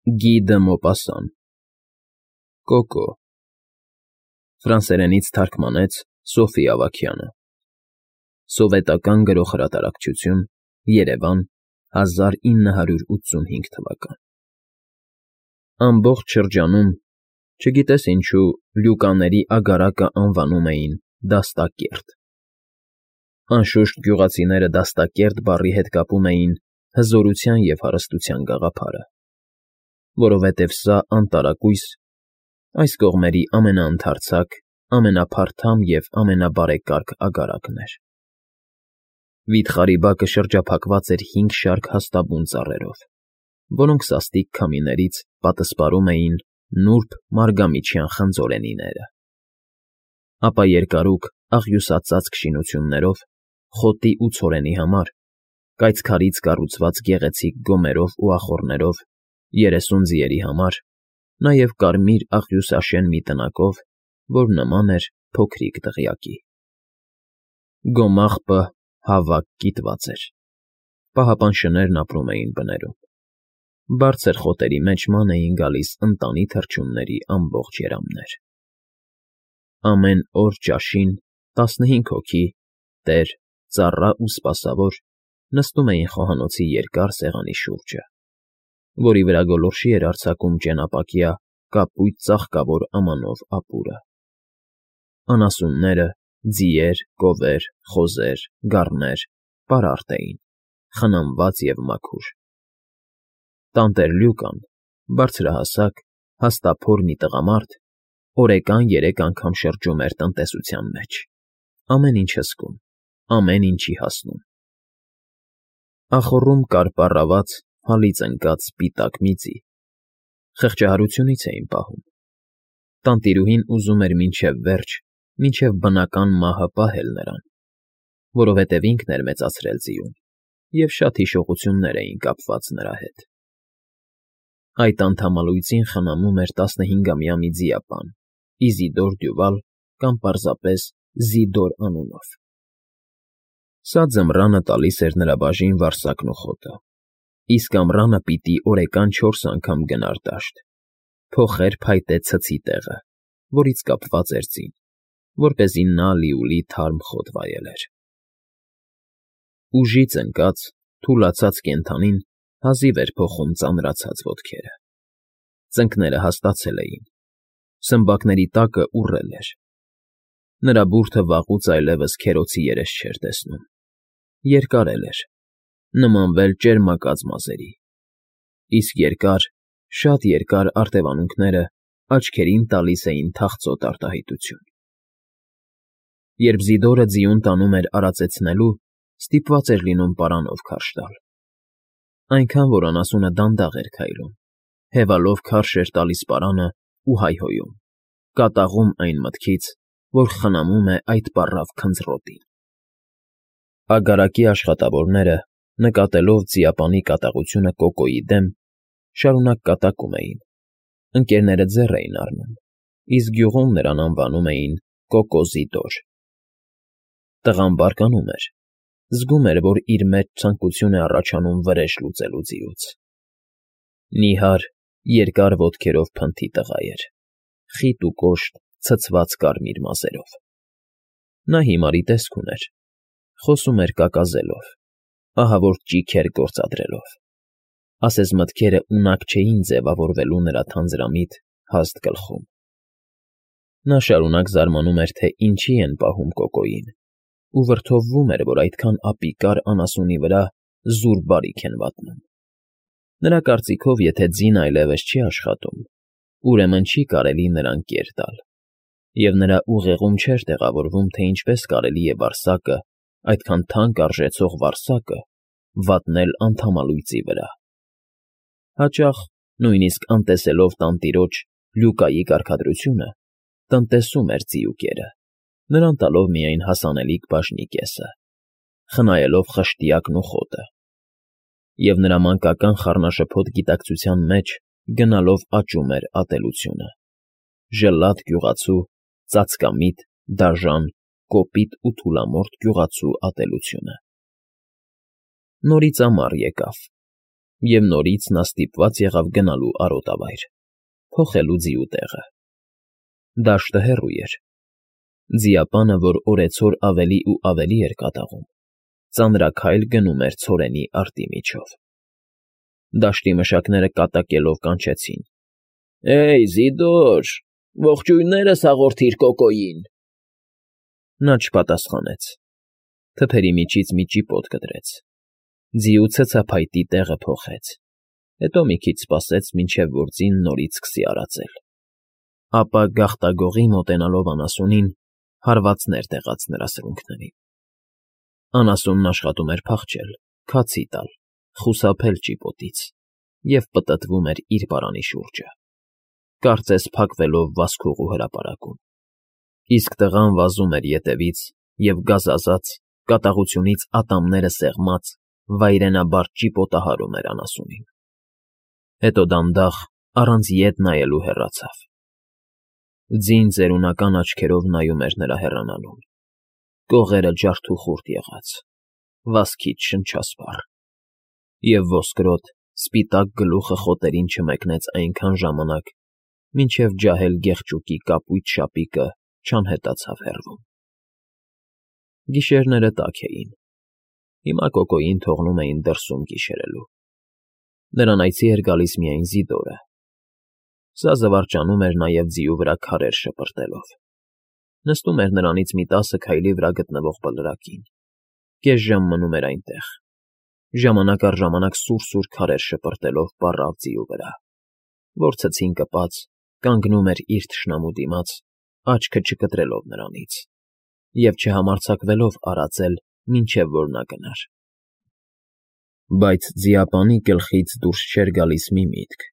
Գի դը Մոպասան Կոկո Ֆրանսերենից թարգմանեց Սոֆի Ավագյանը Սովետական գրողհրատարակչություն Երևան 1985 թվական Ամբողջ շրջանում, չգիտես ինչու, լյուկաների ագարակը անվանում էին Դաստակերտ։ Անշուշտ գյուղացիները Դաստակերտ բառի հետ կապում էին հզորության և հարստության գաղափարը, որովհետև սա անտարակույս, այս կողմերի ամենաընդարձակ, ամենափարթամ և ամենաբարեկարգ ագարակն էր։ Վիթխարի բակը շրջափակված էր 5 շարք հաստաբուն ծառերով, որոնք սաստիկ քամիներից պատսպարում էին նուրբ մարգամիջյան խնձորենիները, ապա երկարուկ աղյուսածածկ շինություններով, խոտի ու ցորենի համար, կայծքարից կառուցված գեղեցիկ գոմերով ու ախոռներով, 30 ձիերի համար, նաև կարմիր աղյուսաշեն մի տնակով, որ նման էր փոքրիկ դղյակի։ Գոմաղբը հավաք կիտված էր, պահապան շներն ապրում էին բներում, բարձր խոտերի մեջ ման էին գալիս ընտանի թռչունների ամբողջ երամներ։ Ամեն օր ճաշին 15 հոգի, տեր, ծառա ու սպասավոր նստում էին խոհանոցի երկար սեղանի շուրջը, որի վրա գոլորշի էր արձակում ճենապակյա կապույտ ծաղկավոր ամանով ապուրը։ Անասունները, ձիեր, կովեր, խոզեր, գառներ պարարտ էին, խնամված և մաքուր։ Տանտեր Լյուկան, բարձրահասակ, հաստափոր մի տղամարդ, օրեկան 3 անգամ շրջում էր տնտեսության մեջ, ամեն ինչ հսկում, ամեն ինչի հասնում։ Ախոռում կար պառաված, հալից ընկած սպիտակ մի ձի, խղճահարությունից էին պահում։ Տանտիրուհին ուզում էր մինչև վերջ, մինչև բնական մահը պահել նրան, որովհետև ինքն էր մեծացրել ձիուն, և շատ հիշողություններ էին կապված նրա հետ։ Այդ անդամալույծին խնամում էր 15-ամյա մի ձիապան, Իզիդոր Դյուվալ կամ պարզապես Զիդոր անունով։ Սա ձմռանը տալիս էր նրա բաժին վարսակն ու խոտը, իսկ ամռանը պիտի օրեկան 4 անգամ գնար դաշտ, փոխեր փայտե ցցի տեղը, որից կապված էր ձին, որպեսզի նա լիուլի թարմ խոտ վայելեր։ Ուժից ընկած, թուլացած կենդանին հազիվ էր փոխում ծանրացած ոտքերը։ Ծնկները հաստացել էին, սմբակների տակը ուռել էր։ Նրա բուրդը վաղուց այլևս քերոցի երես չէր տեսնում, երկարել էր, նմանվել ճերմակած մազերի, իսկ երկար, շատ երկար արտևանունքները աչքերին տալիս էին թախծոտ արտահայտություն։ Երբ Զիդորը ձիուն տանում էր արածեցնելու, ստիպված էր լինում պարանով քարշ տալ, այնքան, որ անասունը դանդաղ էր քայլում, հևալով քարշ էր տալիս պարանը ու հայհոյում, կատաղում այն մտքից, որ խնամում է այդ պառավ քնձռոտին։ Ագարակի աշխատավորները, նկատելով ձիապանի կատաղությունը Կոկոյի դեմ, շարունակ կատակում էին, ընկերները ձեռ էին առնում, իսկ գյուղում նրան անվանում էին Կոկո֊Զիդոր։ Տղան բարկանում էր, զգում էր, որ իր մեջ ցանկություն է առաջանում վրեժ լուծելու ձիուց։ Նիհար, երկար ոտքերով փնթի տղա էր, խիտ ու կոշտ, ցցված կարմիր մազերով։ Նա հիմարի տեսք ուներ, խոսում էր կակազելով, ահավոր ճիգ էր գործադրելով, ասես մտքերը ունակ չէին ձևավորվելու նրա թանձրամիտ, հաստ գլխում։ Նա շարունակ զարմանում էր, թե ինչի են պահում Կոկոյին, ու վրդովվում էր, որ այդքան ապիկար անասունի վրա զուր բարիք են վատնում։ Նրա կարծիքով, եթե ձին այլևս չի աշխատում, ուրեմն չի կարելի նրան կեր տալ, և նրա ուղեղում չէր տեղավորվում, թե ինչպես կարելի է վարսակը, այդքան թանկ արժեցող վարսակը, վատնել անդամալույծի վրա։ Հաճախ, նույնիսկ անտեսելով տանտիրոջ Լյուկայի կարգադրությունը, տնտեսում էր ձիուկերը, նրան տալով միայն հասանելիք բաժնի կեսը, խնայելով խշտիակն ու խոտը, և նրա մանկական խառնաշփոթ գիտակցության մեջ գնալով աճում էր ատելությունը, ժլատ գյուղացու, ծածկամիտ, դաժան, կոպիտ ու թուլամորթ գյուղացու ատելությունը։ Նորից ամառ եկավ, և նորից նա ստիպված եղավ գնալու արոտավայր, փոխելու ձիու տեղը։ Դաշտը հեռու էր։ Ձիապանը, որ օրեցօր ավելի ու ավելի էր կատաղում, ծանրաքայլ գնում էր ցորենի արտի միջով։ Դաշտի մշակները կատակելով կանչեցին. «Էյ, Զիդոր, ողջույններս հաղորդիր Կոկոյին»։ Նա չպատասխանեց։ Թփերի միջից մի ճիպոտ կտրեց։ Ձիու ցցափայտի տեղը փոխեց, հետո մի քիչ սպասեց, մինչև որ ձին նորից սկսի արածել։ Ապա գաղտագողի մոտենալով անասունին, հարվածներ տեղաց նրա սրունքներին։ Անասունն աշխատում էր փախչել, քացի տալ, խուսափել ճիպոտից և պտտվում էր իր պարանի շուրջը, կարծես փակվելով վազքուղու հրապարակում։ Իսկ տղան վազում էր ետևից և գազազած, կատաղությունից ատամները սեղմած, վայրենաբար ճիպոտահարում էր անասունին։ Հետո դանդաղ, առանց ետ նայելու հեռացավ։ Ձին ծերունական աչքերով նայում էր նրա հեռանալուն, կողերը ջարդուխուրդ եղած, վազքից շնչասպառ, և ոսկրոտ, սպիտակ գլուխը խոտերին չմեկնեց այնքան ժամանակ, մինչև ջահել գեղճուկի կապույտ շապիկը չանհետացավ հեռվում։ Գիշերները տաք էին։ Հիմա Կոկոյին թողնում էին դրսում գիշերելու։ Նրան այցի էր գալիս միայն Զիդորը։ Սա զվարճանում էր նաև ձիու վրա քարեր շպրտելով։ Նստում էր նրանից մի 10 քայլի վրա գտնվող բլրակին, կես ժամ մնում էր այնտեղ, ժամանակ առ ժամանակ սուր քարեր շպրտելով պառավ ձիու վրա, որ ցցին կպած, կանգնում էր իր թշնամու դիմաց, աչքը չկտրելով նրանից, և չհամարձակվելով արածել, մինչև որ նա գնար։ Բայց ձիապանի գլխից դուրս չէր գալիս մի միտք.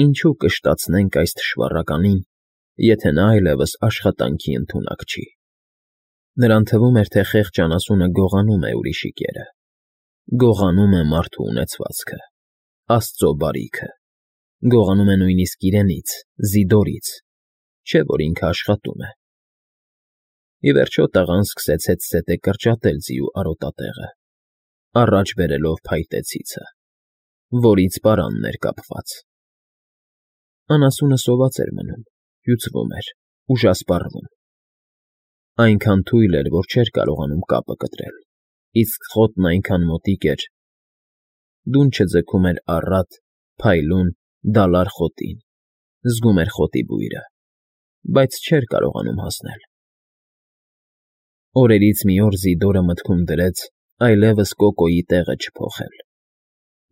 ինչու կշտացնենք այս թշվառականին, եթե նա այլևս աշխատանքի ընդունակ չի։ Նրան թվում էր, թե խեղճ անասունը գողանում է ուրիշի կերը, գողանում է մարդու ունեցվածքը, Աստծո բարիքը, գողանում է նույնիսկ իրենից, Զիդորից, չէ՞ որ ինքը աշխատում է։ Ի վերջո տղան սկսեց հետզհետե կրճատել ձիու արոտատեղը, առաջ բերելով փայտե ցիցը, որից պարանն էր կապված։ Անասունը սոված էր մնում, հյուծվում էր, ուժասպառվում։ Այնքան թույլ էր, որ չէր կարողանում կապը կտրել, իսկ խոտն այնքան մոտիկ էր, դունչը ձգում էր առատ, փայլուն, դալար խոտին, զգում էր խոտի բույրը, բայց չէր կարողանում հասնել։ Օրերից մի օր Զիդորը մտքում դրեց այլևս Կոկոյի տեղը չփոխել։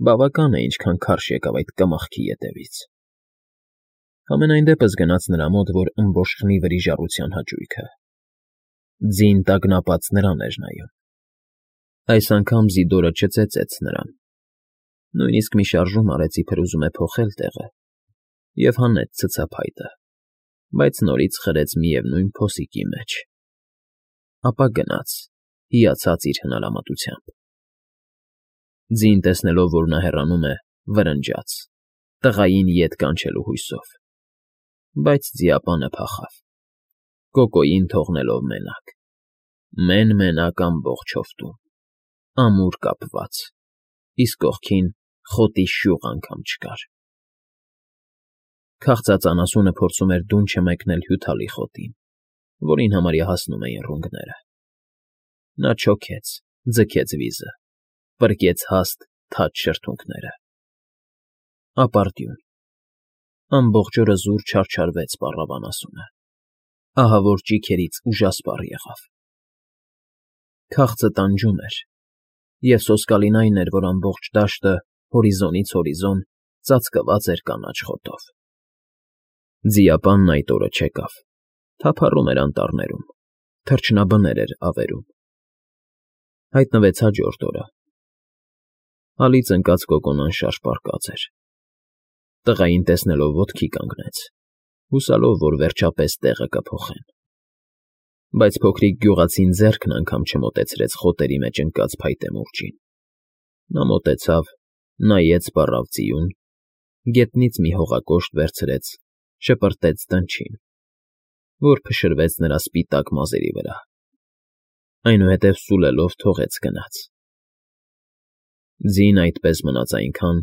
Բավական է, ինչքան քարշ եկավ այդ կմախքի ետևից։ Համենայն դեպս գնաց նրա մոտ, որ ըմբոշխնի վրիժառության հաճույքը։ Ձին տագնապած նրան էր նայում։ Այս անգամ Զիդորը չծեծեց նրան։ Նույնիսկ մի շարժում արեց, իբր ուզում է փոխել տեղը, և հանեց ցցափայտը, բայց նորից խրեց միևնույն փոսիկի մեջ։ Ապա գնաց, հիացած իր հնարամտությամբ։ Ձին տեսնելով, որ նա հեռանում է, վրնջաց, տղային ետ կանչելու հույսով։ Բայց ձիապանը փախավ, Կոկոյին թողնելով մենակ, մեն֊մենակ ամբողջ հովտում, ամուր կապված, իսկ կողքին խոտի շյուղ անգամ չկար։ Քաղցած անասունը փորձում էր դունչը մեկնել հյութալի խոտին, որին համարյա հասնում էին ռունգները։ Նա չոքեց, ձգեց վիզը, պրկեց հաստ, թաց շրթունքները։ Ապարդյուն։ Ամբողջ օրը զուր չարչարվեց պառավ անասունը, ահավոր ճիգերից ուժասպառ եղավ։ Քաղցը տանջում էր, և սոսկալին այն էր, որ ամբողջ դաշտը, հորիզոնից հորիզոն, ծածկված էր կանաչ խոտով։ Ձիապանն այդ օրը չեկավ, թափառում էր անտառներում, թռչնաբներ էր ավերում։ Հայտնվեց հաջորդ օրը։ Հալից ընկած Կոկոն անշարժ պառկած էր։ Տղային տեսնելով ոտքի կանգնեց, հուսալով, որ վերջապես տեղը կփոխեն։ Բայց փոքրիկ գյուղացին ձեռքն անգամ չմոտեցրեց խոտերի մեջ ընկած փայտե մուրճին։ Նա մոտեցավ, նայեց պառավ ձիուն, գետնից մի հողակոշտ վերցրեց, շպրտեց դնչին, որ փշրվեց նրա սպիտակ մազերի վրա, այնուհետև սուլելով թողեց գնաց։ Ձին այդպես մնաց այնքան,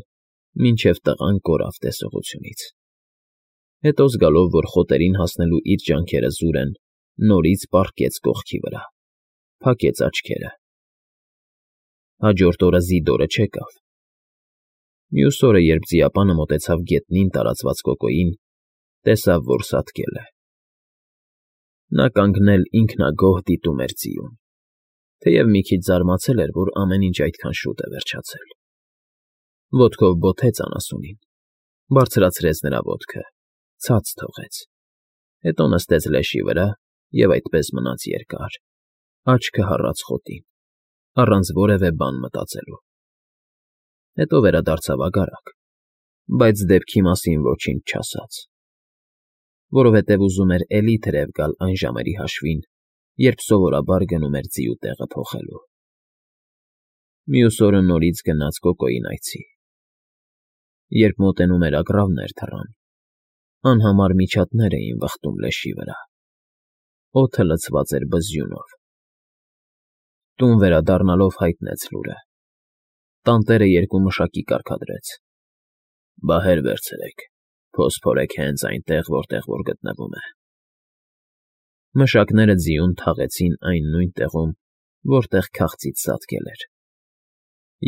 մինչև տղան կորավ տեսողությունից։ Հետո զգալով, որ խոտերին հասնելու իր ջանքերը զուր են, նորից պառկեց կողքի վրա, փակեց աչքերը։ Հաջորդ օրը Զիդորը չեկավ։ Մյուս օրը, երբ ձիապանը մոտեցավ գետնին տարածված կոկոյին, տեսավ, որ սատկել է։ Նա կանգնել ինքնագոհ դիտում էր ձիուն, թեև մի քիչ զարմացել էր, որ ամեն ինչ այդքան շուտ է վերջացել։ Ոտքով բոթեց անասունին, բարձրացրեց նրա ոտքը, ցած թողեց, հետո նստեց լեշի վրա և այդպես մնաց երկար, աչքը հառած խոտին, առանց որևէ բան մտածելու։ Հետո վերադարձավ ագարակ, բայց դեպքի մասին ոչինչ չասաց, որովհետև ուզում էր էլի թրև գալ այն ժամերի հաշվին, երբ սովորաբար գնում էր ձիու տեղը փոխելու։ Մյուս օրը նորից գնաց կոկոյին այցի։ Երբ մոտենում էր ագռավներ թռան, անհամար միջատներ էին վխտում լեշի վրա, օդը լցված էր բզյունով։ Տուն վերադառնալով հայտնեց լուրը։ Տանտերը երկու մշակի կարգադրեց. «Բահեր վերցրեք, փոս փորեք հենց այնտեղ, որտեղ որ գտնվում է»։ Մշակները ձիուն թաղեցին այն նույն տեղում, որտեղ քաղցից սատկել էր,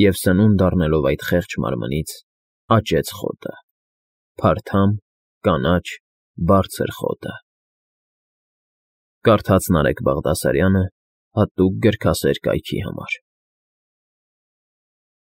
և սնունդ առնելով այդ խեղճ մարմնից, աճեց խոտը, փարթամ, կանաչ, բարձր խոտը։ Կարդաց Նարեկ Բաղդասարյանը հատուկ գրքասեր կայքի համար։